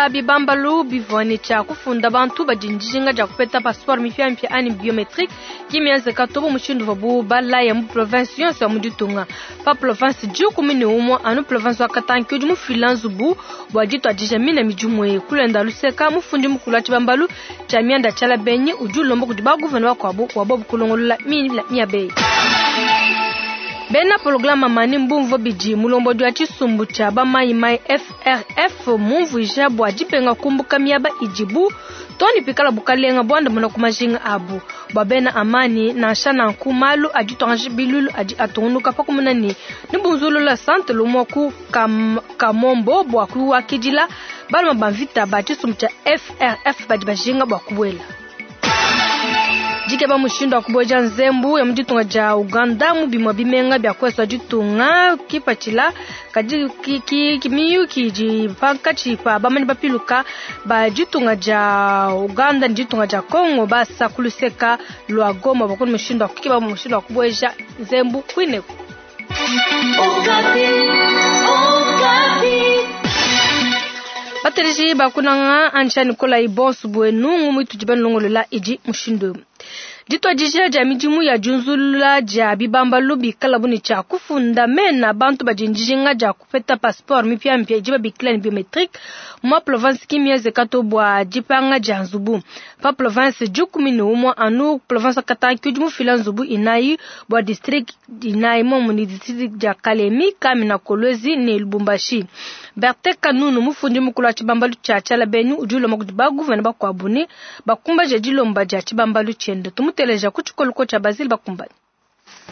Diunzulula bibambalu bivua ne tshia kufunda bantu badi ne dijinga dia kupeta passeport mipiamipia anyi biometrique ki mienzeka to bu mushindu uvuabu balaya mu province yonso ya mu ditunga. Pa province 11 anu province wa Katanga ke udi mufila nzubu bua dituadija mine midimu eyi. Kulenda luseka mufundi mukulu wa tshibambalu tshia mianda tshiala benyi udi ulomba kudi ba gouverneur bakuabu bua bobu kulongolola miaba eyi. Bena pologalama Amani mbumvue bidi mulombodi wa tshisumbu tshia ba mayi mayi FRF mumvuija bua dibenga kumbuka miaba idibu too ne pikala bukalenga buandamuna ku majinga abu. Bua bena Amani, nansha nanku malu a dituangaja biluilu adi atungunuka pa kumona ne nebunzulula santele umue ku Kamombo bua kuakidila baluma ba mvita ba tshisumbu tshia FRF badi bajinga bua kubuela. Dikeba mushindu wa kubueja nzembu ya mu ditunga dia Uganda mu bimue bimenga bia kuesu ditunga kipatshila kadi ki miyuki idi pankatshi pa bamanyi bapiluka ba ditunga dia Uganda ne ditunga dia Congo basa ku luseka lua Goma bua mushindu wa kukeba mushindu wa kubueja nzembu kuineku. Bateleji bakunanga ansha Nikolai bonso buenu ngumu itudi banulongolola idi mushindu eu. Dituadija dia midimu ya diunzulula dia bibambalu bikalabu ne tshia kufunda mena bantu badi ne dijinga dia kupeta passeport mipiamipia idi babikila ne biometrique mu province ki mienzeka to bua dipanga dia nzubu. Pa province 11 anu province Katanga ke udi mufila nzubu inayi bua district inayi momu ne district dia Kalemi, Kamina, Kolwezi ne Lubumbashi. Bertin Kanunu mufundi mukulu wa tshibambalu tshia Tshialabenu udi ulomba kudi ba gouverneur bakuabu ne bakumbaje dilomba dia tshibambalu tshiende. Tumuteleja ku tshikoloko tshia Basile Bakumbani.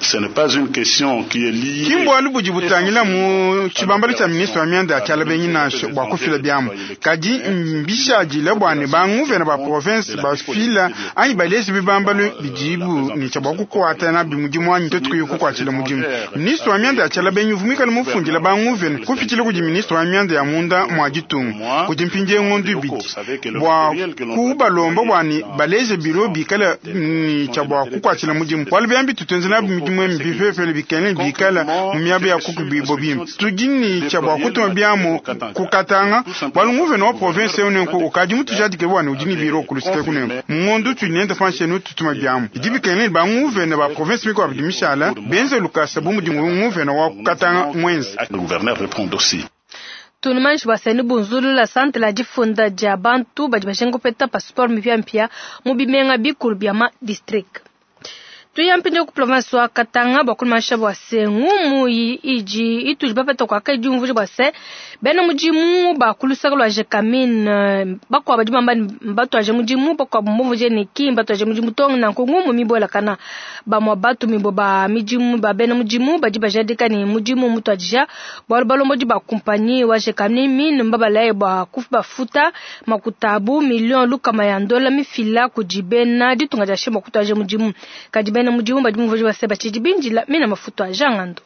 Ce n'est pas une question qui est liée. Ki mbualu budi butangila mu tshibambalu tshia ministre wa mianda ya tshialabenyi nansha bua kufila biamu, kadi mbishadile bua ne banguvena ba province bafila anyi baleje bibambalu bidibu ne tshia bua kukuata nabi mudimu anyi tuetu kuyi kukuatshila mudimu. Ministre wa mianda ya tshialabenyi uvua muikale mufundile banguvena kupitshila kudi ministre wa mianda ya munda mua ditunga kudi mpindieu ngondo ibidi bua kubalomba bua ne baleje biro bikale ne tshia bua kukuatshila mudimu, bualu biambi tutuenze nabi midimu emi bipepele bikale bikala mu miaba ya kukubibo bimpe. Tudi ne tshia bua kutuma biamu ku Katanga, bualu nguvena wa province eu nenku ukadi mutujadike bua ne udi ne biro ku luseke kunenku. Mu ngondo utudi nende panshi enu tutuma biamu bidi bikengela ne banguvena ba province mikuabu idi mishala benze lukasa bu mudi nguvena wa ku Katanga muenze. Le gouverneur répond aussi. Tunumanyishi bua seni bunzulula santre ya difunda dia bantu badi bajinga kupeta passeport mipiamipia mu bimenga bikulu bia ma district. Tuya mpindieu ku province wa Katanga bua kulumanyisha bua se ngumu idi itudi bapeta kua kai diumvuija bua se bena mudimu ba ku luseke lua Gécamines bakuabu badi bamba ne mbatuaje mudimu, bakuabu mbumvuije ne ki mbatuaje mudimu to. Nanku ngumu mibuelakana bamue batumibue ba midimu ba bena mudimu badi bajadika ne mudimu mutuadija bualu balombodi ba kumpanyi wa Gécamines mbabalaye bua kubafuta makuta abu million lukama ya ndola mifila kudi bena ditunga dia Shema kutuaje mudimu, kadi bena mudimu badi mumvuije bua se batshidi bindila mina mafuta a jangando.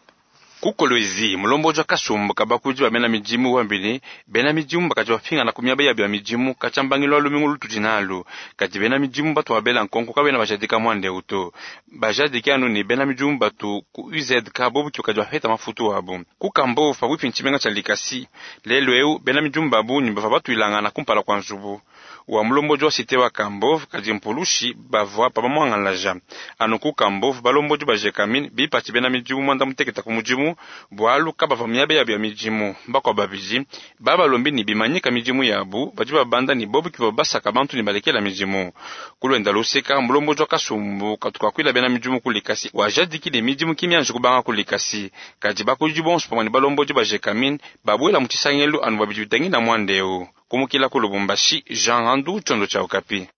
Ku Kolwezi mulombodi wa kasumbu ka bakudi ba bena midimu wambi ne bena midimu bakadi bapingana ku miaba yabu ya midimu katshia mbangilu wa lumingu lutudi nalu, kadi bena midimu batu babela nkonko kabena bajadika muanda eu to. Bajadike anu ne bena midimu batu ku UZK bobu ke bakadi bapeta mafutu abu. Ku Kambove pabuipi ne tshimenga tshia Likasi lelu eu bena midimu ba bungi bavua batuilangana kumpala kua nzubu wa mulombodi wa cité wa Kambove, kadi mpulushi bavua pa bamuangalaja. Anu ku Kambove balombodi ba Gécamines bipatshi bena midimu muanda mutekete ku mudimu bualu kabavua miaba yabu ya midimu. Bakuabu babidi babalombi ne bimanyika midimu yabu badi babanda ne bobu ke basaka bantu ne balekela midimu. Kulwenda luseka mulombodi wa kasumbu katukakuila bena midimu ku Likasi wajadiki ne midimu ki mianji kubanga ku Likasi, kadi bakudi bonso pamue ne balombodi ba Gécamines babuela mu tshisangelu anu babidi bitangila muanda eu. Kumukila ku Lubumbashi, Jean Randu, Tchondo tshia Okapi.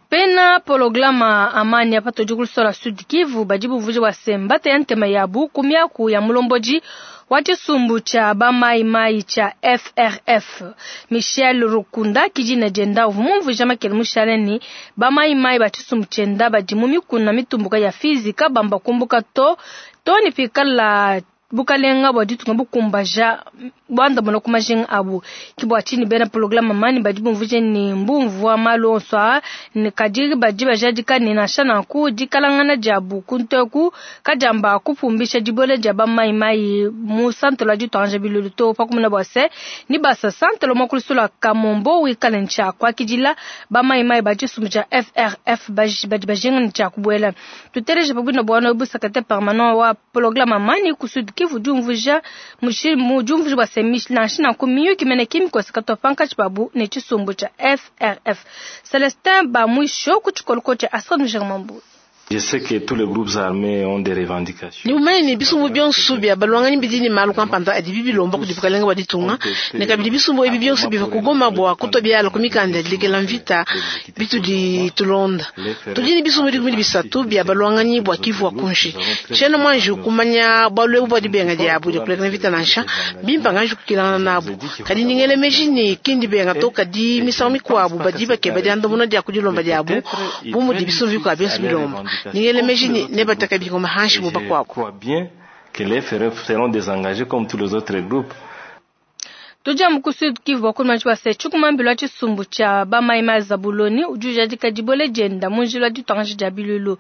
Pena pologalama amani apa tudi ku luseke lua Sud Kivu badi bumvuija bua se mbata ya ntema yabu ku miaku ya mulombodi wa tshisumbu tshia ba mai mai tshia FRF Michel Rukunda kidina dienda uvua mumvuija makele mushale ne ba mai mai ba tshisumbu tshienda badi mu mikuna mitumbuka ya Fizi kabamba kumbuka to to ne pikala Bukalenga bua ditunga bukumbaja buandamuna ku majinga abu. Ke bua tshinyi bena programe mani badi bumvuije ne mbumvua malu onso aa ne kadi badi bajadika ne nansha nanku dikalangana diabu kunteku kadiamba kupumbisha dibuela dia bamayimayi mu santelo wa dituanganja bilulu to pakumuna bua se ni basa santelo mua kulusula Kamombo wikale ntshia kuakidila bamayimayi ba tshisumbu tshia FRF badi bajinga ne tshia kubuela. Tuteleje pabuina bua bu secrétaire permanent wa programme mani ku Sud Kivu diumvuja mu diumvuja bua se nansha nanku miyuki mene kimikosa katwa pankatshi pabu ne tshisumbu tshia FRF. Celestin Bamwisho ku tshikoloko tshia Astrid Germambu. Je sais que tous les groupes armés ont des revendications. Ni umene ni bisumbu byonso bya balwanganyi bidi ni malu kampanda adi bibilomba kudi bukalenga bwa ditunga ne kabidi bisumbu ebi byonso biva kugoma bwa kutwa byala ku mikanda ya dilekela mvita bitudi tulonda. Tudi ni bisumbu 13 bya balwanganyi bwa Kivu wa kunshi. Tshena mwanji kumanya bwalu ebu bwa dibenga diabu dia kulekela mvita nansha bimpa nganji kukilangana nabu. Kadi ningele meji ni kindi benga to kadi misangu mikwabu badi bakeba diandamuna dia kudilomba diabu bu mudi bisumbu bikwa byonso bilomba. Ningele meji ni nebataka bingoma hanshi mu bakwabo. Je crois bien que les FRF seront désengagés comme tous les autres groupes. Tuja mu ku Sud Kivu bakuluma tshia se tshikumambilo tshisumbu tshia bamaima Zabuloni udi ujadika dibole dienda mu njila ditwangaji dia bilulu.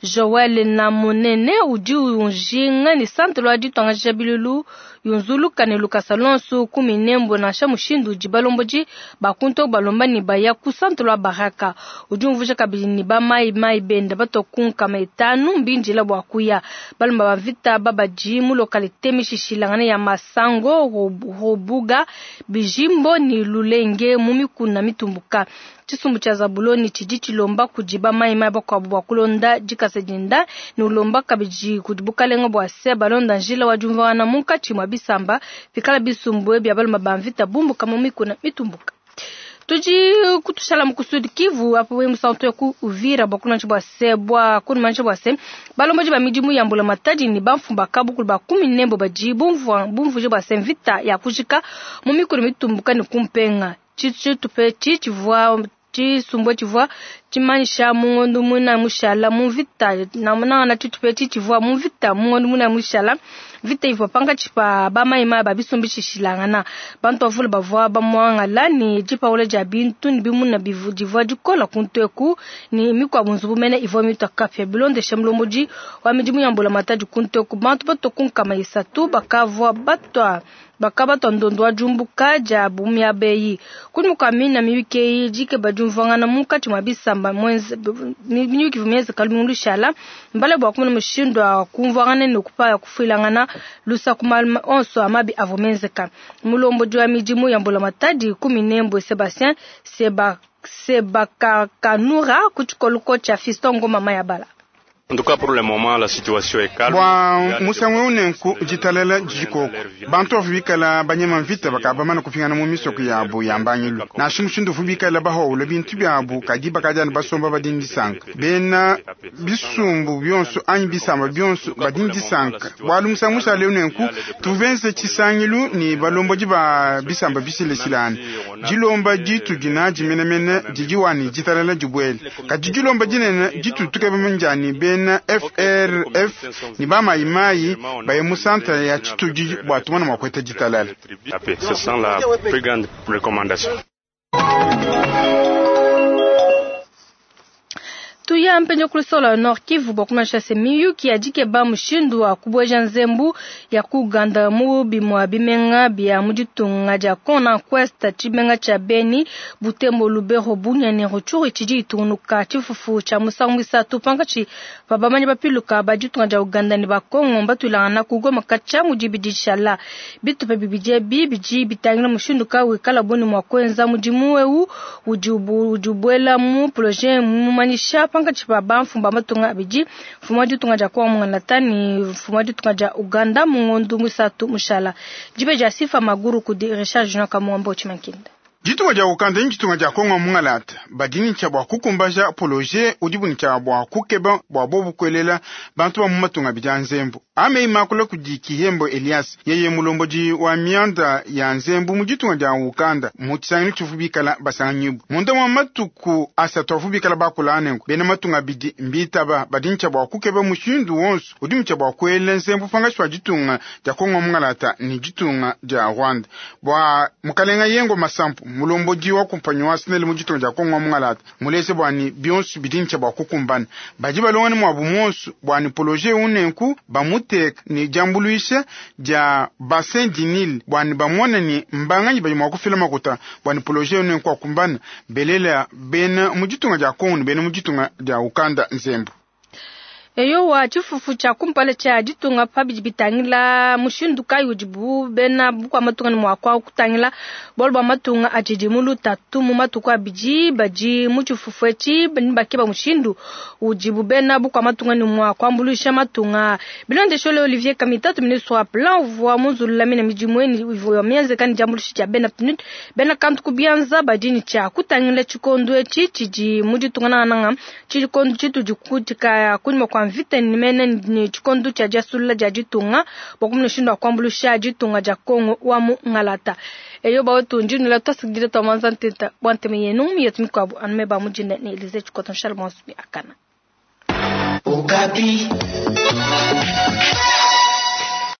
Joel Namunene udi unjinga ni centre lwa ditwangaji dia bilulu yunzuluka ne lukasa lonso kumi nembo nansha mushindu udi balomboji bakunto balomba ni baya ku centre lwa Baraka. Udi umvuja kabidi ni bamaimai benda batokunka maitanu mbinjila bwa kuya balomba bavita babaji mu localité mishishilangana ya Masango Robuga Bijimbo ni Lulenge mu mikuna mitumbuka. Tshisumbu tshia Zabuloni tshidi tshilomba kudiba maimai bakuabu bua kulonda dikasa dinda ni ulomba kabidi kudi bukalenga bua se balonda njila wa diumvuangana munkatshi mua bisamba pikala bisumbu bia balomba ba mvita bumbuka mu mikuna mitumbuka. Tudi kutushala mu Sud Kivu apo we musanto ku Uvira bwa kunanchi bwa se bwa kunmanchi bwa se balomboji ba midimu ya mbula matadi ni bamfumba kabukulu ba 14 baji bumvua bumvuje bwa se mvita ya kujika mu mikuna mitumbuka ni kumpenga tshitupe tshivua tshisumbu tshivua tshimanyisha mungondo muna mushala mu mvita namunanga tshitupe tshivua mu mvita mungondo muna mushala vita ivua pankatshi pa bamaima ba bisumbu tshishilangana bantu bavule bavua bamwangala ni dipaula dia bintu ni bimuna divua dikola kunteku ni mikwabu nzubu mene ivua mitwa kapya bilondesha mulombodi wa midimu ya mbula matadi kunteku bantu batokunkama isatu bakavua batwa bakabatwa ndondo wa jumbuka dia bumia beyi kunimuka mina miyuki dike badiumvuangana munkatshi mwa bisamba mwenze miyuki vumyeze kalumulu shala mbale bwa kumuna mushindu wa kumvuangana ne kupaya kufuilangana lusa kumaluma onso amabi avomenzeka mulombodi wa midimu ya mbula matadi 14 Sebastien Sebakakanura kutshikoloko tshia Fiston Ngoma Mayabala. En tout cas, pour le moment, la situation est calme. Bwa musangu unenku jitalela jikoko bantu bikala banyema mvita bakabamana kupingana mu misoko yabo yambanyilu nashi mushindu bikala bahowula bintu byabo kadi bakajana basomba badindisanka bena bisumbu byonso anyi bisamba byonso badindisanka bwalu musangu musale unenku tuvenze tshisangilu ni balomboji ba bisamba bisilesilana jilomba jitu jina jimenemene jijiwani jitalela jibwele kadi jilomba jinene jitu tukebe bena FRF ni ba mayimayi baye mu centre ya Chituji bwa tumana mwa kweta jitalala. Ce sont la plus grande recommandation. Tuya mpenyo kulisola Nord Kivu bwa se miyuki ya dikeba mushindu wa kubweja nzembu ya kuganda mu bimwa bimenga bya muditunga dia Kona Quest tshimenga tsha Beni Butembo Lubero Bunia ne Rutshuru tshidi itunuka tshifufu tsha musangu isatu pankatshi pa bamanyi bapiluka ba ditunga dia Uganda ne Bakongo batulangana kugoma katsha mudibidi tshala bitupa bibidi ebi bidi bitangila mushindu ka wikala boni mwa kwenza mudimu eu udi ubwela mu projet mumanyisha pankatshi pa bamfumba matunga abidi mfumu ditunga dia Kongo Natani mfumu ditunga dia Uganda mungondu musatu mushala dibe dia sifa maguru kudi Richard Junior Kamwambo Chimankinda. Ditunga dia Uganda ni ditunga dia Kongo mungalata badi ne tshia bua kukumbaja projet udibu ne tshia bua kukeba bua bobu kuelela bantu ba mu matunga abidi a nzembu. Ameyi makula kudi Kihembo Elias, yeye mulombodi wa mianda ya nzembu mu ditunga dia Uganda mu tshisangilu tshivu bikala basanganyibu munda mua matuku asatu avu bikala bakula anenku. Bena matunga abidi mbitaba badi ne tshia bua kukeba mushindu wonso udi mu tshia bua kuela nzembu pangashi wa ditunga dia Kongo mungalata ne ditunga dia Rwanda. Bua mukalenga Yengo Masampu, mulombodi wa kumpanyi wa SNEL mu ditunga dia Kongo mungalata, muleze bua ni bionso bidi ne tshia bua kukumbana badi balongane muabu monso bua ni projet unenku bamuteka ni diambuluisha dia bassin du Nil bua ni bamone ni mbanganyi badi mua kufila makuta bua ni projet unenku akumbana belela bena mu ditunga dia Kongo ne bena mu ditunga dia Uganda nzembu. Eyowa, tshifufu tshia kumpala tshia ditunga pa bidi bitangila mushindu kayi udibu bena bukua matunga ne mua kutangila bualu bua matunga atshidi mu lutatu mu matuku abidi. Badi mu tshifufu etshi bakeba mushindu udibu bena bukua matunga ne mua kuambuluisha matunga. Bilondeshile Olivier Kamitatu, ministre wa plan uvua munzulula mine midimu ivua mienzeka ne diambuluisha dia bena PNUD, bena kantu ku bianza badi ne tshia kutangila tshikondo etshi tshidi mu ditunga nangananga tshikondo tshitudi kutika kunyima kua mvita ni mene ni tshikondo tshia diasulula dia ditunga bua kumona mushindu wa kuambuluisha ditunga dia Kongo wa mu ngalata. Eyo bawetu ndinula twasikidile twamanza ntenta bua nteme yenu yetu mikuabu anume ba mujinda ne Elise Tshikoto Charles Mwansubi akana. Okapi.